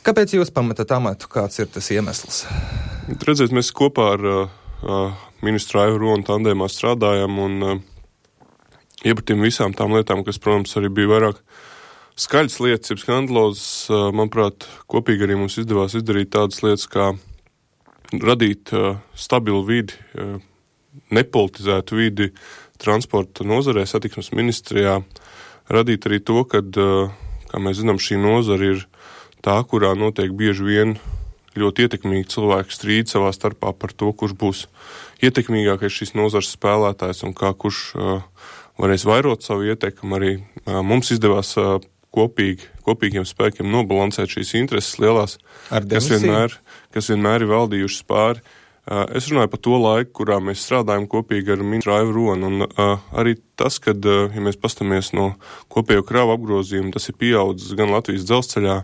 Kāpēc jūs pametat amatu? Kāds ir tas iemesls? Redziet, mēs kopā ar ministru Aivu Ronu tandēmā strādājam un iepratījām visām tām lietām, kas, protams, arī bija vairāk skaļas lietas, jeb skandalozes. Manuprāt, kopīgi arī mums izdevās izdarīt tādas lietas, kā radīt stabilu vidi, nepolitizētu vidi transporta nozarē, satiksmes ministrijā, radīt arī to, kad, kā mēs zinām, šī nozara ir tā, kurā notiek bieži vien ļoti ietekmīgi cilvēki strīd savā starpā par to, kurš būs ietekmīgākais šīs nozares spēlētājs un kā kurš varēs vairot savu ietekmi. Arī mums izdevās kopīgiem spēkiem nobalansēt šīs intereses lielās, kas vienmēr ir valdījušas pāri. Es runāju par to laiku, kurā mēs strādājam kopīgi ar ministru Aivu Ronu, un arī tas, kad, ja mēs pastamies no kopējo kravu apgrozījumu, tas ir pieaudzis gan Latvijas dzelzceļā,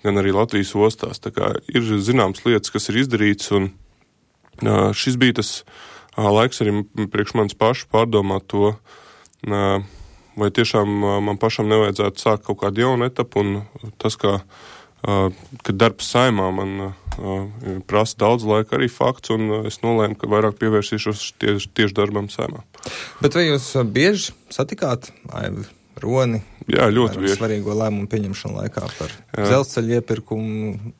gan arī Latvijas ostās. Tā kā ir zināmas lietas, kas ir izdarīts, un šis bija tas laiks arī priekš manis pašu pārdomāt to, vai tiešām man pašam nevajadzētu sākt kaut kādu jaunu etapu, un tas, kad darbs saimā man prasa daudz laika arī fakts, un es nolēmu, ka vairāk pievērsīšos tieši darbam saimā. Bet vai jūs bieži satikāt Aivu Roni? Jā, ļoti bieži. Svarīgo lēmumu pieņemšanu laikā par dzelzceļa iepirkumu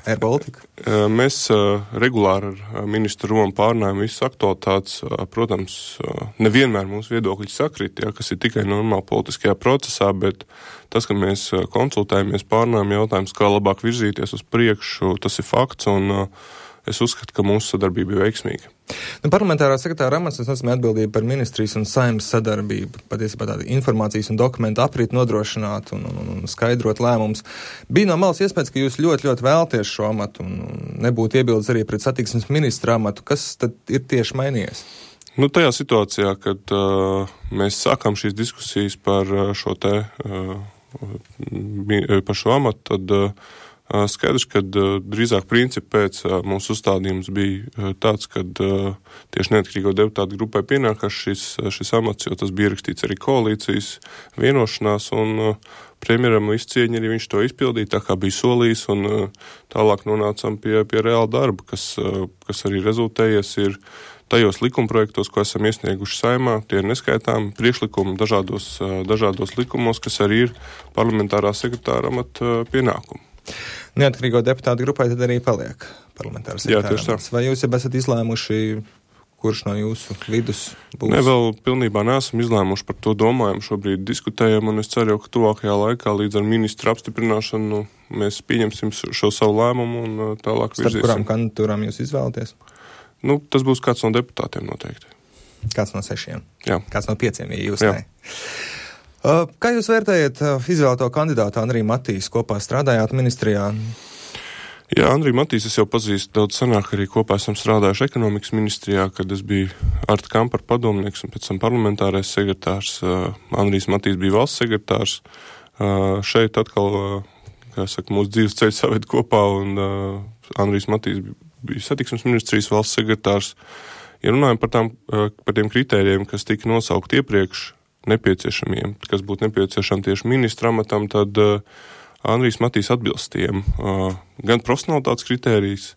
Air Baltica? Mēs regulāri ar ministru Ronu pārnājam visas aktualitātes. Protams, nevienmēr mūsu viedokļi sakrit, kas ir tikai normāli politiskajā procesā, bet tas, ka mēs konsultējamies, pārnājam jautājumus, kā labāk virzīties uz priekšu, tas ir fakts, un es uzskatu, ka mūsu sadarbība ir veiksmīga. Parlamentārā sekretāra amats, tas nozīmē atbildību par ministrijas un saimnes sadarbību, patiesībā tāda informācijas un dokumentu aprīt nodrošināt un skaidrot lēmumus. Bija no malas iespējas, ka jūs ļoti, ļoti vēlties šo amatu un nebūtu iebildes arī pret satiksmes ministra amatu. Kas tad ir tieši mainījies? Tajā situācijā, kad mēs sākām šīs diskusijas par šo amatu, tad skaidrs, ka drīzāk principi pēc mūsu uzstādījums bija tāds, ka tieši neatkarīgo deputātu grupai pienākās šis amats, jo tas bija ierakstīts arī koalīcijas vienošanās, un premjeram visu cieņu arī viņš to izpildīja, tā kā bija solījis, un tālāk nonācām pie reāla darba, kas arī rezultējies ir tajos likumprojektos, ko esam iesnieguši saimā. Tie ir neskaitām priekšlikumi dažādos likumos, kas arī ir parlamentārā sekretāra amata pienākumi. Neatkarīgo deputātu grupai tad arī paliek parlamentāra sekretāra amats. Vai jūs jau esat izlēmuši, kurš no jūsu vidus būs? Ne, vēl pilnībā neesam izlēmuši, par to domājam, šobrīd diskutējam, un es ceru, ka tuvākajā laikā līdz ar ministra apstiprināšanu mēs pieņemsim šo savu lēmumu un tālāk virzīsim. Starp kurām kandidatūrām jūs izvēlaties? Tas būs kāds no deputātiem noteikti. Kāds no 6? Jā. Kāds no 5, ja jūs ne? Kā jūs vērtējat izvēlēto kandidātu Andriju Matīsu? Kopā strādājāt ministrijā? Jā, Andriju Matīsu es jau pazīstu daudz senāk, arī kopā esam strādājuši ekonomikas ministrijā, kad es biju Arta Kampara padomnieks un pēc tam parlamentārais sekretārs. Andrijs Matīs bija valsts sekretārs. Šeit atkal, mūsu dzīves ceļi saved kopā, un Andrijs Matīs bija satiksmes ministrijas valsts sekretārs. Ja runājam par tiem kritērijiem, kas tika nosaukt iepriekš, nepieciešamiem, kas būtu nepieciešami tieši ministra amatam, tad Andrijs Matīs atbilst tiem gan profesionalitātes kritērijas,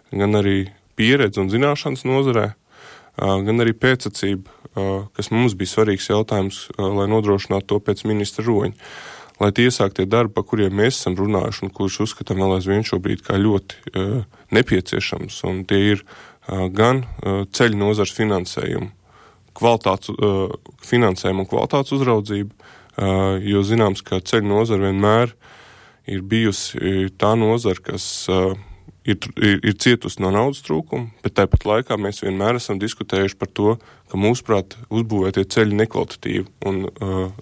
gan arī pieredze un zināšanas nozarē, gan arī pēcacība, kas mums bija svarīgs jautājums, lai nodrošinātu to pēc ministra roņa. Lai tie iesāktie darbi, par kuriem mēs esam runājuši un kurus uzskatām vēl aizvien šobrīd kā ļoti nepieciešams, un tie ir gan ceļu nozars finansējumu, finansējumu un kvalitātes uzraudzību, jo zināms, ka ceļu nozara vienmēr ir bijusi tā nozara, kas ir cietusi no naudas trūkuma, bet tāpat laikā mēs vienmēr esam diskutējuši par to, ka mūsuprāt uzbūvētie ceļi nekvalitatīvi un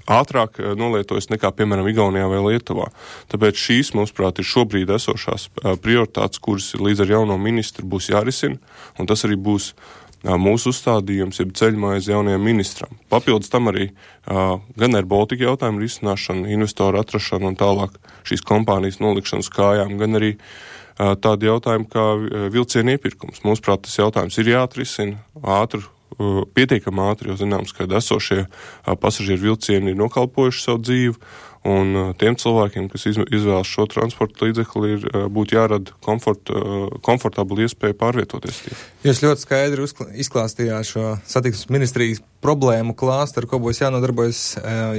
ātrāk nolietojas nekā, piemēram, Igaunijā vai Lietuvā. Tāpēc šīs, mūsuprāt, ir šobrīd esošās prioritātes, kuras līdz ar jauno ministru būs jārisina, un tas arī būs mūsu uzstādījums, jeb ceļmaize jaunajam ministram. Papildus tam arī gan Air Baltica jautājumu risināšana, investoru atrašana un tālāk šīs kompānijas nolikšana uz kājām, gan arī tādi jautājumi kā vilcienu iepirkums. Mūsuprāt, tas jautājums ir jāatrisina pietiekami ātri, jo zināms, ka esošie pasažieru vilcieni ir nokalpojuši savu dzīvi, Un tiem cilvēkiem, kas izvēlas šo transporta līdzekli, būtu jārada komfortabla iespēja pārvietoties. Jūs ļoti skaidri izklāstījāt šo satiksmes ministrijas problēmu klāstu, ar ko būs jānodarbojas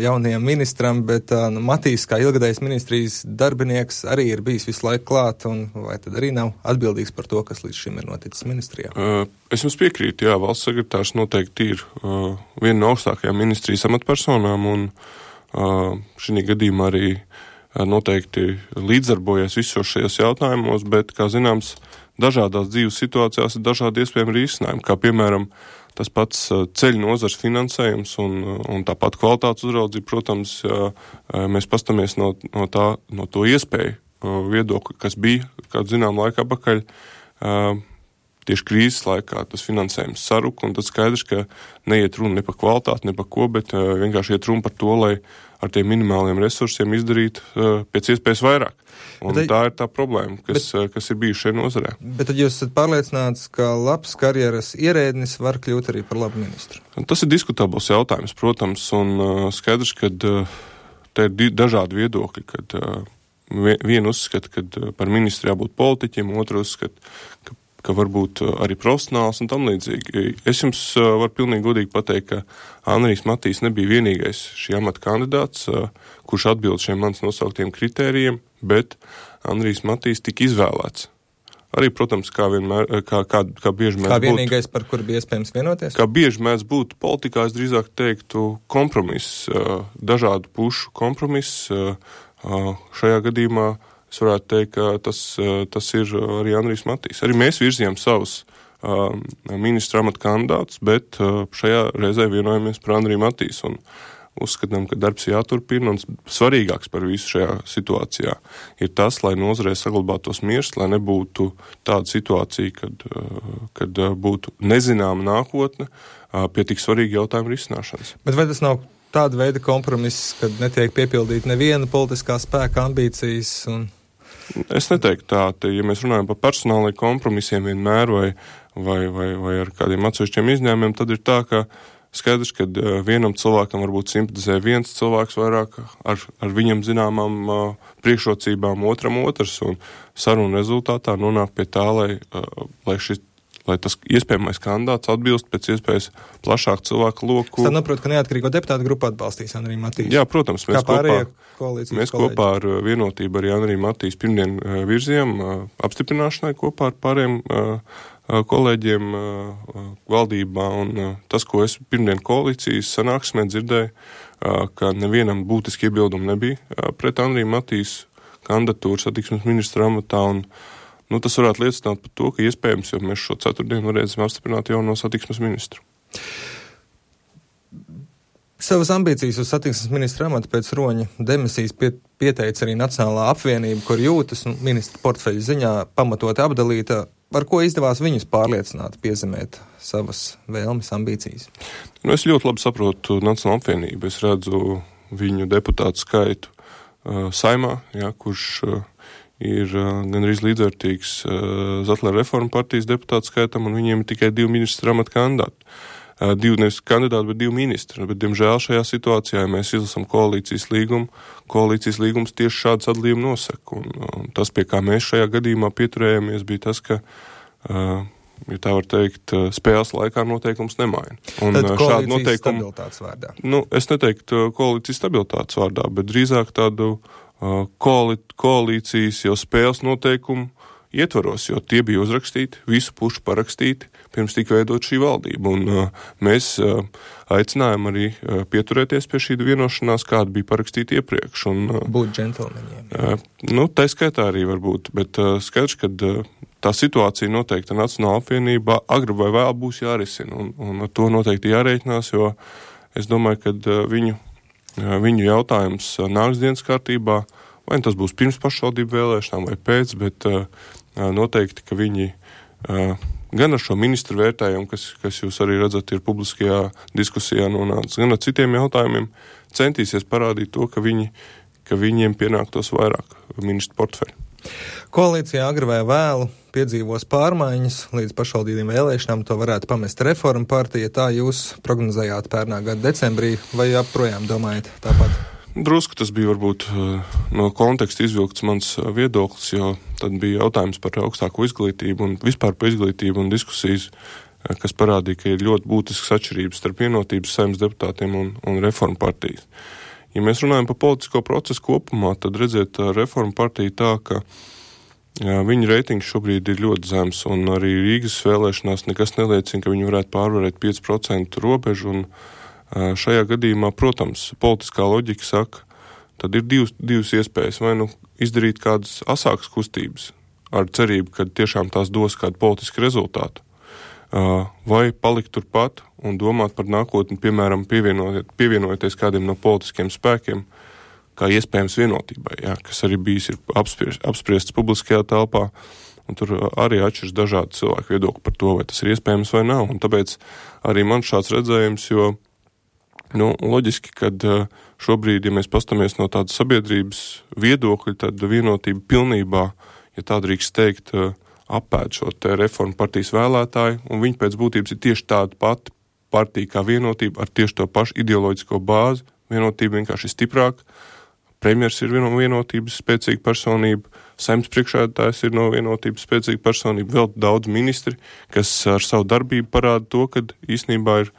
jaunajam ministram, bet Matīs, kā ilgadējs ministrijas darbinieks, arī ir bijis visu laiku klāt, un vai tad arī nav atbildīgs par to, kas līdz šim ir noticis ministrijā? Es jums piekrītu, jā, valsts sekretārs noteikti ir viena no augstākajām ministrijas amatpersonām, un šī gadījumā arī noteikti līdzdarbojas visos šajos jautājumos, bet, kā zināms, dažādās dzīves situācijās ir dažādi iespējami risinājumi, kā piemēram tas pats ceļu nozars finansējums un tāpat kvalitātes uzraudzība, protams, mēs pastamies no to iespēju viedokļa, kas bija, kādu zinām laiku apakaļ, tieši krīzes laikā tas finansējums saruka, un tad skaidrs, ka neiet runa ne par kvalitāti, ne par ko, bet vienkārši iet runa par to, lai ar tiem minimāliem resursiem izdarīt pēc iespējas vairāk. Un tā ir tā problēma, kas ir bijuši šajā nozarē. Bet tad jūs esat pārliecināts, ka labs karjeras ierēdnis var kļūt arī par labu ministru? Tas ir diskutabls jautājums, protams, un skaidrs, ka te ir dažādi viedokļi, kad viena uzskata, ka par ministru jābūt politiķim, otra uzskata, ka varbūt arī profesionāls un tam līdzīgi. Es jums varu pilnīgi godīgi pateikt, ka Andrijs Matīs nebija vienīgais šī amata kandidāts, kurš atbild šiem manis nosauktiem kritērijiem, bet Andrijs Matīs tika izvēlēts. Arī, protams, kā vienmēr, kā bieži mēdz būt. Kā vienīgais, par kuru bija iespējams vienoties? Kā bieži mēdz būt politikā, es drīzāk teiktu kompromiss, dažādu pušu kompromiss. Šajā gadījumā es varētu teikt, ka tas ir arī Andrijs Matīs. Arī mēs virzījām savus ministra amata kandidātus, bet šajā reizē vienojamies par Andriju Matīsu un uzskatām, ka darbs jāturpina, un svarīgāks par visu šajā situācijā ir tas, lai nozarē saglabātos miers, lai nebūtu tāda situācija, kad būtu nezināma nākotne pie tik svarīga jautājuma risināšanas. Bet vai tas nav tāda veida kompromiss, kad netiek piepildīt neviena politiskā spēka ambīcijas? Es neteiktu tā, ja mēs runājam par personālajiem kompromisiem vienmēr vai ar kādiem atsevišķiem izņēmumiem, tad ir tā, ka skaidrs, ka vienam cilvēkam varbūt simpatizē viens cilvēks vairāk ar viņam zināmām priekšrocībām, otram otrs, un saruna rezultātā nonāk pie tā, lai tas iespējamais kandidāts atbilst pēc iespējas plašāku cilvēku loku. Es tad saprotu, ka neatkarīgo deputātu grupu atbalstīs Andriju Matīsu. Jā, protams, mēs kopā ar vienotību arī Andriju Matīsu pirmdien virzījām apstiprināšanai kopā ar pārējiem kolēģiem valdībā, un tas, ko es pirmdien koalīcijas sanāksmē dzirdēju, ka nevienam būtiski iebildumi nebija pret Andriju Matīsu kandidatūru satiksmes ministra amatā, un tas varētu liecināt par to, ka iespējams, jo mēs šo ceturtdienu varēsim apstiprināt jauno satiksmes ministru. Savas ambīcijas uz satiksmes ministra amatu pēc Roņa demisijas pieteica arī Nacionālā apvienība, kur jūtas ministra portfeļa ziņā pamatoti apdalīta. Ar ko izdevās viņus pārliecināt, piezemēt savas vēlmes, ambīcijas? Es ļoti labi saprotu Nacionālo apvienību. Es redzu viņu deputātu skaitu Saimā, kurš ir gandrīz līdzvērtīgs Zatlera reforma partijas deputātu skaitam, un viņiem ir tikai 2 ministra amata kandidāti. 2 nevis kandidāti, bet 2 ministri. Bet, diemžēl, šajā situācijā, ja mēs izlasam koalīcijas līgums tieši šādu sadalījumu nosaka. Un tas, pie kā mēs šajā gadījumā pieturējāmies, bija tas, ka, ja tā var teikt, spēles laikā noteikums nemaina. Tad koalīcijas stabilitātes vārdā? Es neteiktu koalīcijas stabilitātes vārdā, bet drīzāk tādu koalīcijas jau spēles noteikumu ietvaros, jo tie bija uzrakstīti, visu pušu parakstīti, pirms tika veidot šī valdība. Un mēs aicinājām arī pieturēties pie šī vienošanās, kāda bija parakstīta iepriekš. Būt džentelmeņiem. Tā skaitā arī var būt, bet skaidrs, ka tā situācija noteikti Nacionālā apvienībā agri vai vēl būs jārisina, un ar to noteikti jārēķinās, jo es domāju, ka viņu jautājums nāks dienas kārtībā, vai tas būs pirms pašvaldību vēlēšanām vai pēc, bet noteikti, ka viņi gan ar šo ministru vērtējumu, kas jūs arī redzat, ir publiskajā diskusijā nonācis, gan ar citiem jautājumiem centīsies parādīt to, ka viņiem pienāktos vairāk ministru portfeļu. Koalīcijā agri vai vēlu piedzīvos pārmaiņas, līdz pašvaldībiem vēlēšanām to varētu pamest reforma partija, tā jūs prognozējāt pērnā gada decembrī, vai joprojām domājat tāpat? Drusku tas bija varbūt no konteksta izvilkts mans viedoklis, jo tad bija jautājums par augstāko izglītību un vispār par izglītību un diskusijas, kas parādīja, ka ir ļoti būtisks atšķirības starp Vienotības Saeimas deputātiem un Reformu partijas. Ja mēs runājam par politisko procesu kopumā, tad redziet, Reformu partija tā, ka viņa reitings šobrīd ir ļoti zems, un arī Rīgas vēlēšanās nekas neliecina, ka viņi varētu pārvarēt 5% robežu, un šajā gadījumā, protams, politiskā loģika saka, tad ir divas iespējas, vai nu izdarīt kādas asākas kustības ar cerību, ka tiešām tās dos kādu politisku rezultātu, vai palikt turpat un domāt par nākotni, piemēram, pievienojoties kādiem no politiskiem spēkiem, kā iespējams Vienotībai, kas arī bijis ir apspriests publiskajā telpā, un tur arī atšķiras dažādi cilvēku viedokļi par to, vai tas ir iespējams vai nav, un tāpēc arī man šāds redzējums, jo loģiski, kad šobrīd, ja mēs pastamies no tādas sabiedrības viedokļa, tad Vienotība pilnībā, ja tā drīkst teikt, apēd šo te Reformu partijas vēlētāju, un viņi pēc būtības ir tieši tāda pati partija kā Vienotība, ar tieši to pašu ideoloģisko bāzi. Vienotība vienkārši ir stiprāka. Premjers ir Vienotības spēcīga personība, Saeimas priekšsēdētājs ir no Vienotības spēcīga personība, vēl daudz ministri, kas ar savu darbību parāda to, ka īstenībā ir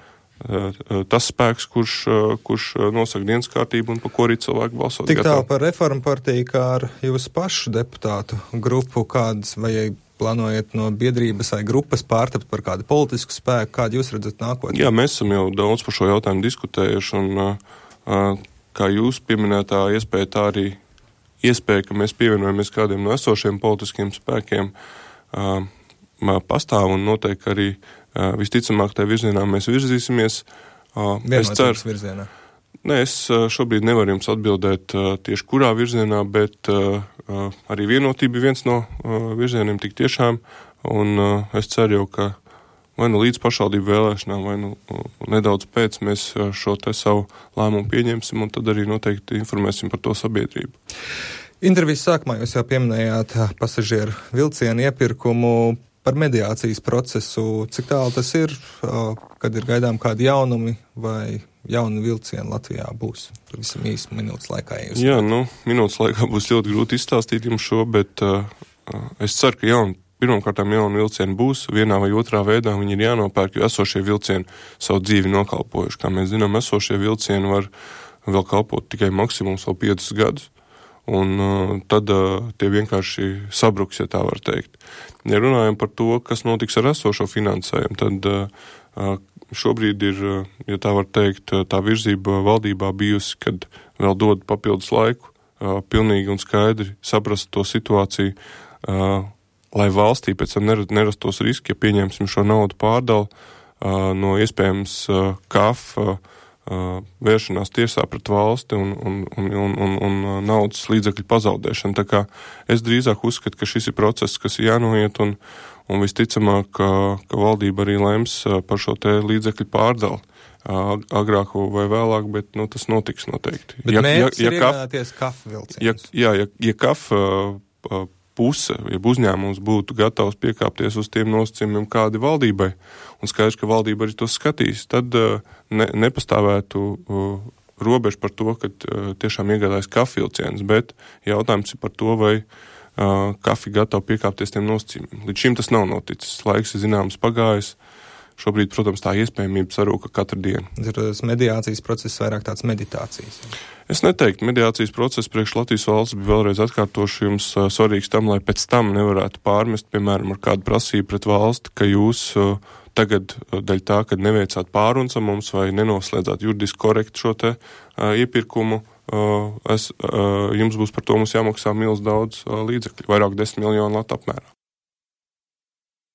tas spēks, kurš nosaka dienas kārtību un par ko arī cilvēki balsot. Tik tālu par Reformu partiju, kā ar jūsu pašu deputātu grupu, kādas vai plānojat no biedrības vai grupas pārtapt par kādu politisku spēku, kādu jūs redzat nākotnē? Jā, mēs esam jau daudz par šo jautājumu diskutējuši, un kā jūs pieminētā iespēja, tā arī iespēja, ka mēs pievienojamies kādiem no esošiem politiskiem spēkiem, pastāv un noteikti arī visticamāk tajā virzienā mēs virzīsimies. Vienotības virzienā? Nē, es šobrīd nevaru jums atbildēt tieši kurā virzienā, bet arī Vienotība ir viens no virzieniem tik tiešām, un es ceru jau, ka vai nu līdz pašvaldību vēlēšanām, vai nu nedaudz pēc mēs šo te savu lēmumu pieņemsim, un tad arī noteikti informēsim par to sabiedrību. Intervijas sākumā jūs jau pieminējāt pasažieru vilcienu iepirkumu par mediācijas procesu. Cik tālu tas ir, kad ir gaidām kādi jaunumi vai jauni vilcieni Latvijā būs? Pavisam īsi minūtes laikā. Jā, minūtes laikā būs ļoti grūti izstāstīt jums šo, bet es ceru, ka pirmkārtām jauni vilcieni būs, vienā vai otrā veidā viņi ir jānopērk, jo esošie vilcieni savu dzīvi nokalpojuši. Kā mēs zinām, esošie vilcieni var vēl kalpot tikai maksimums vēl 5 gadus, un tad tie vienkārši sabruks, ja tā var teikt. Ja runājam par to, kas notiks ar esošo finansējumu, tad šobrīd ir, ja tā var teikt, tā virzība valdībā bijusi, kad vēl dod papildus laiku, pilnīgi un skaidri saprast to situāciju, lai valstī pēc tam nerastos riski, ja pieņemsim šo naudu pārdalu no iespējams KAF vēršanās tiesā pret valsti un naudas līdzekļu pazaudēšanu. Tā kā es drīzāk uzskatu, ka šis ir process, kas ir jānoiet, un visticamāk, ka valdība arī lems par šo te līdzekļu pārdalu agrāk vai vēlāk, bet tas notiks noteikti. Bet mērķis ir iegādāties KAF vilcienus. Ja KAF puse, ja uzņēmums būtu gatavs piekāpties uz tiem nosacījumiem, kādi valdībai, un skaidrs, ka valdība arī tos skatīs, tad nepastāvētu robežu par to, ka tiešām iegādājas KAF vilcienus, bet jautājums ir par to, vai KAF ir gatava piekāpties tiem nosacījumiem. Līdz šim tas nav noticis. Laiks ir zināms pagājis. Šobrīd, protams, tā iespējamība sarūka katru dienu. Tas mediācijas process vairāk tāds meditācijas. Es neteiktu, mediācijas process priekš Latvijas valsts bija vēlreiz atkārtoši jums svarīgs tam, lai pēc tam nevarētu pārmest, piemēram, ar kādu prasību pret valsti, ka jūs tagad daļ tā, kad neveicāt pārunas ar mums vai nenoslēdzāt juridiski korekti šo te iepirkumu, jums būs par to mums jāmaksā milz daudz līdzekļu, vairāk 10 miljonu latu apmērā.